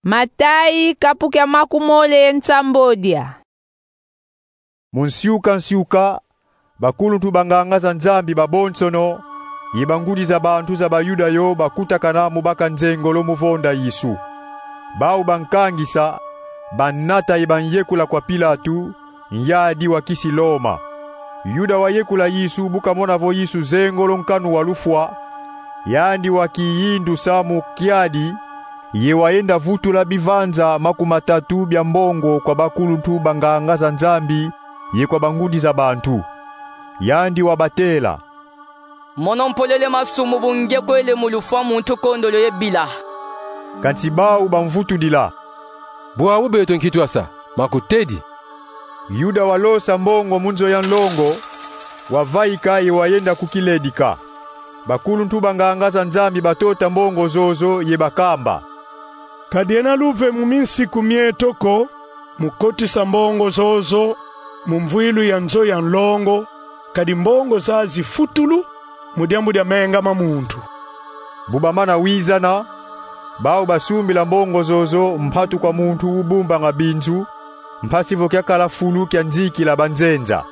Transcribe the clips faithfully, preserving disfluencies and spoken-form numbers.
Matayi, kapu kia makumole ye nsambodia. Mu nsiuka nsiuka, bakuluntu banganga za Nzambi babonsono, ye bangudi za bantu za Bayuda yo bakutakana mu baka nzengolo mu vonda Yesu. Bau bankangisa, banata ye banyekula kwa Pilatu, nyadi wa kisi Loma. Yuda wayekula Yesu bu kamona vo Yesu zengolo nkanu wa lufwa, yandi wakiyindusa mu kiadi, ye wayenda vutula bivanza makumatatu bia mbongo kwa bakuluntu banganga za Nzambi ye kwa bangudi za bantu. Yandi wabatela: Mono mpolele masumu bu nge kwele mu lufwa muntu kondolo ye bila. Kansi bau bamvutudila: Bwabu beto nki twasa, makutedi? Yuda walosa mbongo mu nzo ya nlongo, wavaika ye wayenda ku kiledika. Bakuluntu banganga za Nzambi batota mbongo zozo ye bakamba: Kadiena luve mu minsiku mieto ko mu kotisa mbongo zozo mu mvwilu ya nzo ya nlongo, kadi mbongo zazi futulu mu diambu dia menga ma muntu. Bu bamana wizana, bau basumbila mbongo zozo mpatu kwa muntu ubumbanga binzu, mpasi vo kiakala fulu kia nzikila banzenza.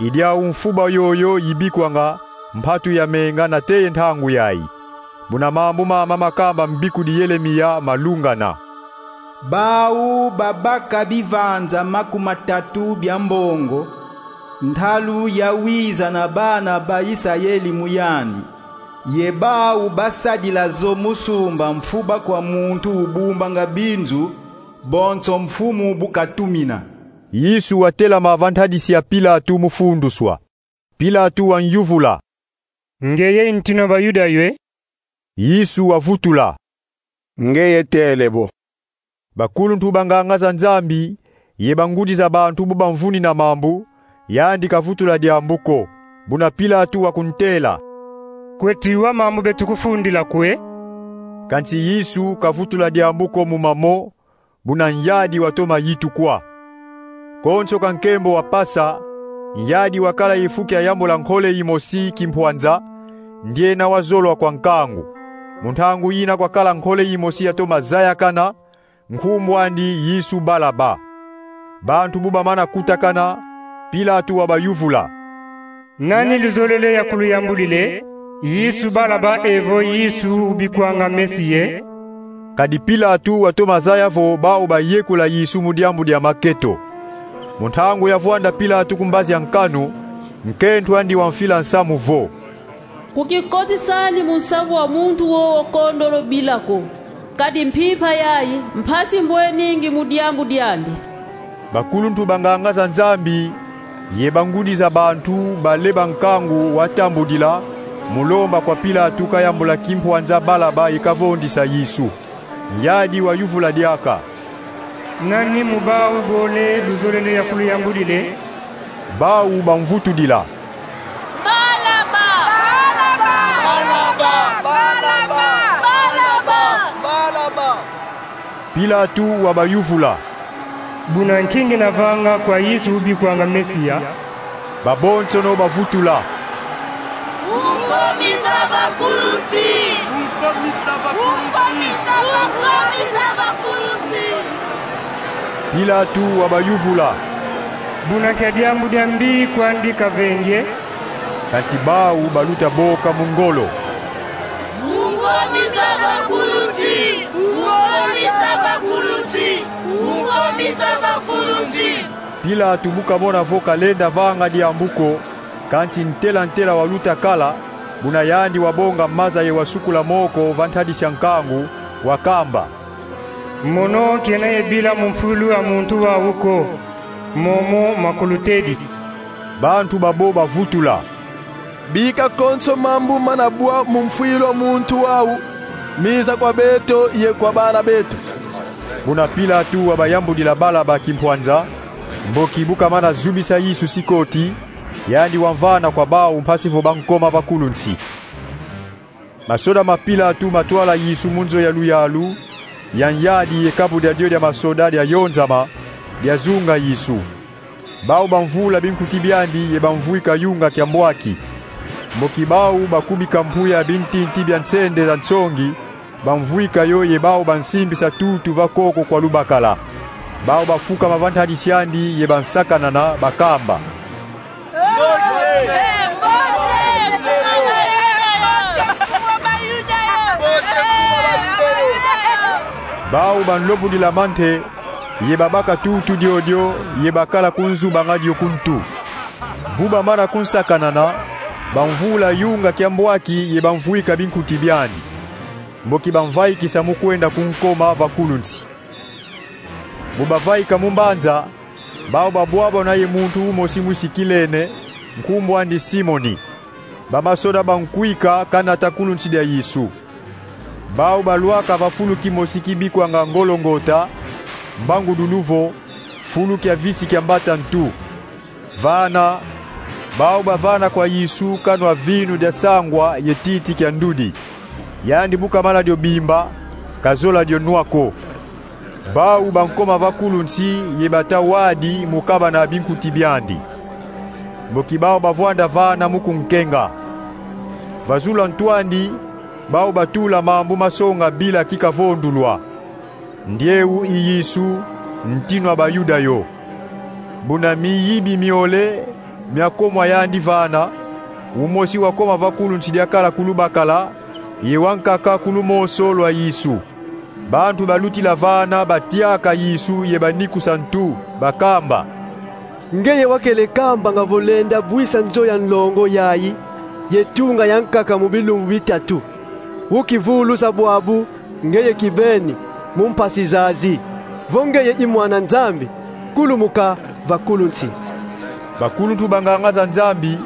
I diau mfuba yoyo yibikwanga mpatu ya menga nate ye ntangu yayi. Buna mambu mama makamba mbikudi Yelemiya malungana: Bau babaka bivanza makumatatu bia mbongo, ntalu ya wiza na bana ba Isayeli mu yandi, ye bau basadila zo mu sumba mfuba kwa muntu ubumbanga binzu, bonso Mfumu bu katumina. Yesu watelama va ntadisi ya Pilatu mu funduswa. Pilatu wanyuvula: Ngeye ntinu a Bayuda yo e? Yesu wavutula: Ngeye tele bo. Bakuluntu banganga za Nzambi ye bangudi za bantu bu bamvunina mambu, yandi kavutula diambu ko. Buna Pilatu wakuntela: Kweti wa mambu beto kufundila ko e? Kansi Yesu kavutula diambu ko mu mamo, buna nyadi watoma yitukwa. Konso ka nkembo wapasa, nyadi wakala ye fu kia yambula nkole yimosi kimpwanza, ndiena wazolwa kwa nkangu. Mu ntangu yina kwakala nkole yimosi yatoma zayakana, nkumbu andi Yesu Balaba. Bantu bu bamana kutakana, Pilatu wabayuvula: Nani luzolele ya kuluyambudila e? Yesu Balaba evo Yesu ubikwanga Mesiya e? Kadi Pilatu watoma zaya vo bau bayekula Yesu mu diambu dia maketo. Mu ntangu yavwanda Pilatu ku mbazi a nkanu, nkento andi wamfila nsamu vo: Kukikotisa andi mu nsamu wa muntu wowo kondolo bila ko, kadi mpimpa yayi mpasi mbweningi mu diambu diandi. Bakuluntu banganga za Nzambi ye bangudi za bantu baleba nkangu watambudila mu lomba kwa Pilatu kayambula kimpwanza Balaba ye kavondisa Yesu. Nyadi wayuvula diaka: Nani mu bau bole luzolele ya kuluyambudila e? Bau bamvutudila: Balaba! Balaba! Pilatu wabayuvula: Buna nki ngiena vanga kwa Yesu ubikwanga Mesiya? Babonsono bavutula: Unkomisa bakulunsi! Unkomisa bakulunsi! Unkomisa bakulunsi! Pilatu wabayuvula: Buna nkia diambu dia mbi kwandi kavengi e? Kansi bau baluta boka mu ngolo: Unkomisa bakulunsi! Unkomisa bakulunsi! Unkomisa bakulunsi! Pilatu bu kamona vo kalenda vanga diambu ko, kansi ntela ntela waluta kala, buna yandi wabonga maza ye wasukula moko va ntadisi a nkangu, wakamba: Mono kiena ye bila mu mfwilu a muntu wau ko, momo makulutedi. Bantu babo bavutula: Bika konso mambu mana bwa mu mfwilu a muntu wau, miza kwa beto ye kwa bana beto. Buna Pilatu wabayambudila Balaba kimpwanza, mboki bu kamana zubisa Yesu sikoti, yandi wamvana kwa bau mpasi vo bankoma bakulunsi. Masoda ma Pilatu matwala Yesu mu nzo ya luyalu, ya nyadi ye kabu dia dio dia masoda diayonzama, diazunga Yesu. Bau bamvula binkuti biandi ye bamvwika yunga kia mbwaki. Mboki bau bakubika mpuya bintinti bia nsende za nsongi, bamvwika yo ye bau bansimbisa tutu va koko kwa lubakala. Bau bafukama va ntadisi andi ye bansakanana, bakamba: Bau banlobudila mante ye babaka tutu diodio ye bakala kunzubanga dio ku ntu. Bu bamana kunsakanana, bamvula yunga kia mbwaki ye bamvwika binkuti biandi. Mboki bamvaikisa mu kwenda kunkoma va kulu nsi. Bu bavaika mu mbanza, bau babwabwana ye muntu umosi mwisi Kilene, nkumbu andi Simoni. Bamasoda bankwika kanata kulu nsi dia Yesu. Bau balwaka va fulu kimosi kibikwanga Ngolongota, mbangudulu vo: Fulu kia visi kia mbata ntu. Vana, bau bavana kwa Yesu kanwa vinu dia sangwa ye titi kia ndudi. Yandi bu kamana dio bimba, kazola dio nwa ko. Bau bankoma va kulu nsi ye bata wadi mu kabana binkuti biandi. Mboki bau bavwanda vana mu kunkenga. Va zulu a ntu andi, bau batula mambu masonga bila kikavondulwa: Ndieu i Yesu, ntinu a Bayuda yo. Buna miyibi miole miakomwa yandi vana, umosi wakoma va kulu nsi diakala ku lubakala, ye wankaka ku lumoso lwa Yesu. Bantu balutila vana batiaka Yesu ye banikusa ntu, bakamba: Ngeye wakele kambanga vo lenda bwisa nzo ya nlongo yayi ye tunga yankaka mu bilumbu bitatu. Ukivulusa bwabu ngeye kibeni mu mpasi zazi. Vo ngeye i Mwana Nzambi, kulumuka va kulu nsi. Bakuluntu ba nganga za Nzambi,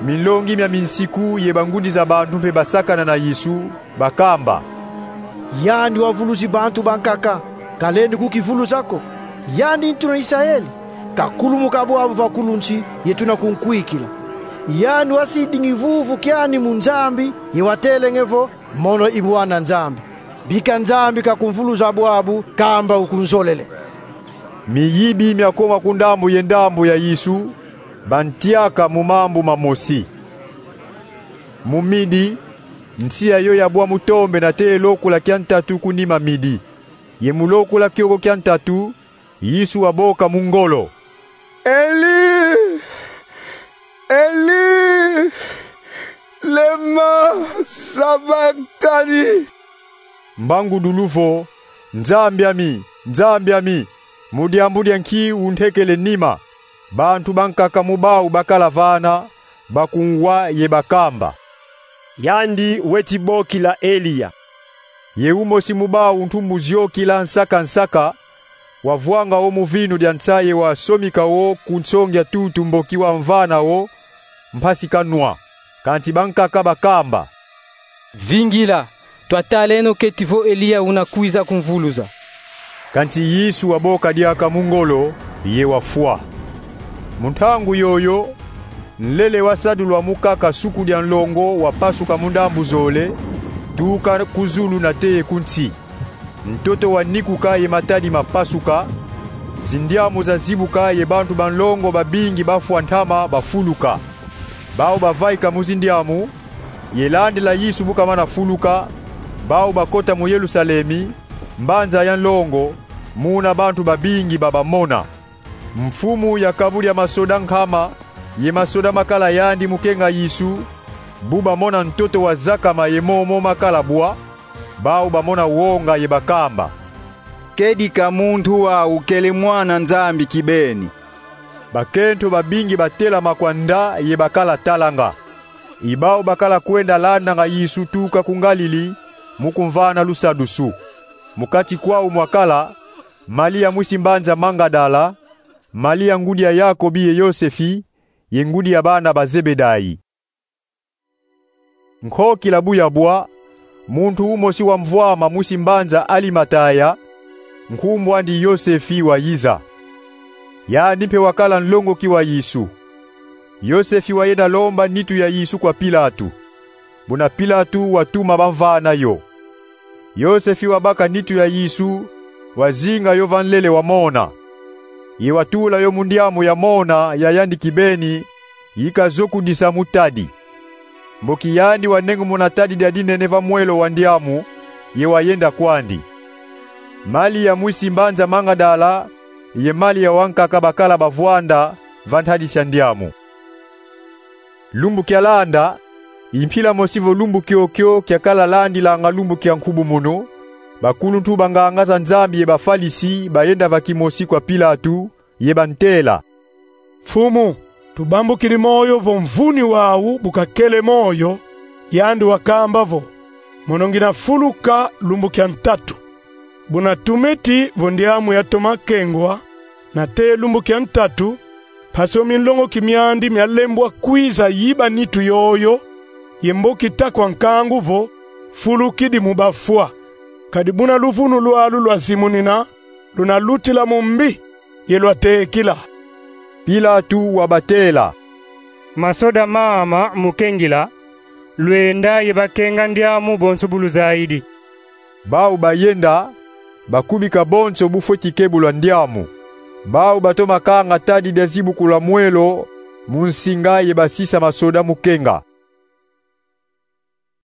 minlongi mia minsiku ye bangudi za bantu mpe basakana na Yesu, bakamba: Yandi wavulusi bantu bankaka, kalendi kukivulusa ko. Yandi ntuna Isaeli, kakulumuka bwabu va kulu nsi ye tuna kunkwikila. Yandi wasidingi vuvu kiandi mu Nzambi ye watelenge vo: Mono i Bwana Nzambi. Bika Nzambi kakumvulusa bwabu kamba ukunzolele. Miyibi miakoma ku ndambu ye ndambu ya Yesu, bantiaka mu mambu mamosi. Mu midi, nsi yayo yabwa mu tombe nate ye lokula kia ntatu ku nima midi. Ye mu lokula kioko kia ntatu, Yesu waboka mu ngolo: Eli, Eli, lema sabakitani? Mbangudulu vo: Nzambi ami, Nzambi ami, mu diambu dia nki untekele nima? Bantu bankaka mu bau bakala vana bakunwa ye bakamba: Yandi weti bokila Eliya. Ye umosi mu bau ntumbu ziokila nsaka nsaka, wavwanga wo mu vinu dia nsa ye wasomika wo ku nsongi a tutu mboki wamvana wo mpasi kanwa. Kansi bankaka bakamba: Vingila, twataleno keti vo Eliya una kwiza kumvulusa. Kansi Yesu waboka diaka mu ngolo ye wafwa. Mu ntangu yoyo, nlele wasadulwa mu kaka suku dia nlongo wapasuka mu ndambu zole, tuka ku zulu nate ye ku nsi. Ntoto wanikuka ye matadi mapasuka, zindiamu zazibuka ye bantu ba nlongo babingi bafwa ntama bafuluka. Bau bavaika mu zindiamu, ye landila Yesu bu kamana fuluka, bau bakota mu Yerusalemi, mbanza ya nlongo, muna bantu babingi babamona. Mfumu ya kabu dia masoda nkama ye masoda makala yandi mu kenga Yesu, bu bamona ntoto wazakama ye momo makala bwa, bau bamona wonga ye bakamba: Kedika muntu wau kele Mwana Nzambi kibeni. Bakento babingi batelama kwanda ye bakala talanga. I bau bakala kwenda landanga Yesu tuka ku Ngalili, mu kumvana lusadusu. Mu kati kwau mwakala Malia mwisi mbanza Mangadala, Malia ngudi ya Yakobi ye Yosefi, ye ngudi ya bana ba Zebedai. Nkokila bu yabwa, muntu umosi wamvwama mwisi mbanza Alimataya, nkumbu andi Yosefi, wayiza. Yandi mpe wakala nlongoki wa Yesu. Yosefi wayenda lomba nitu ya Yesu kwa Pilatu. Buna Pilatu watuma bamvana yo. Yosefi wabaka nitu ya Yesu, wazinga yo va nlele wamona. Ye watula yo mu ndiamu ya mona ya yandi kibeni, yi kazokudisa mu tadi. Mboki yandi wanengumuna tadi dia dinene va mwelo wa ndiamu, ye wayenda kwandi. Malia mwisi mbanza Mangadala ye Malia wankaka bakala bavwanda va ntadisi a ndiamu. Lumbu kialanda, i mpila mosi vo lumbu kiokio kiakala landilanga lumbu kia nkubumunu, bakuluntu ba nganga za Nzambi ye Bafalisi bayenda va kimosi kwa Pilatu, ye bantela: Mfumu, tubambukidi moyo vo mvuni wau bu kakele moyo, yandi wakamba vo: Mono ngina fuluka lumbu kia ntatu. Buna tumeti vo ndiamu yatoma kengwa, nate lumbu kia ntatu, mpasi o minlongoki miandi mialembwa kwiza yiba nitu yoyo, ye mbo kita kwa nkangu vo: Fulukidi mu bafwa. Kadi buna luvunu lwalu lwazimunina, luna lutila mu mbi, ye lwatekila. Pilatu wabatela: Masoda mama mu kengila, lwenda ye bakenga ndiamu bonso bu luzayidi. Bau bayenda, bakubika bonso bu fweti kebulwa ndiamu. Bau batoma kanga tadi dia zibukula mwelo mu nsinga ye basisa masoda mu kenga.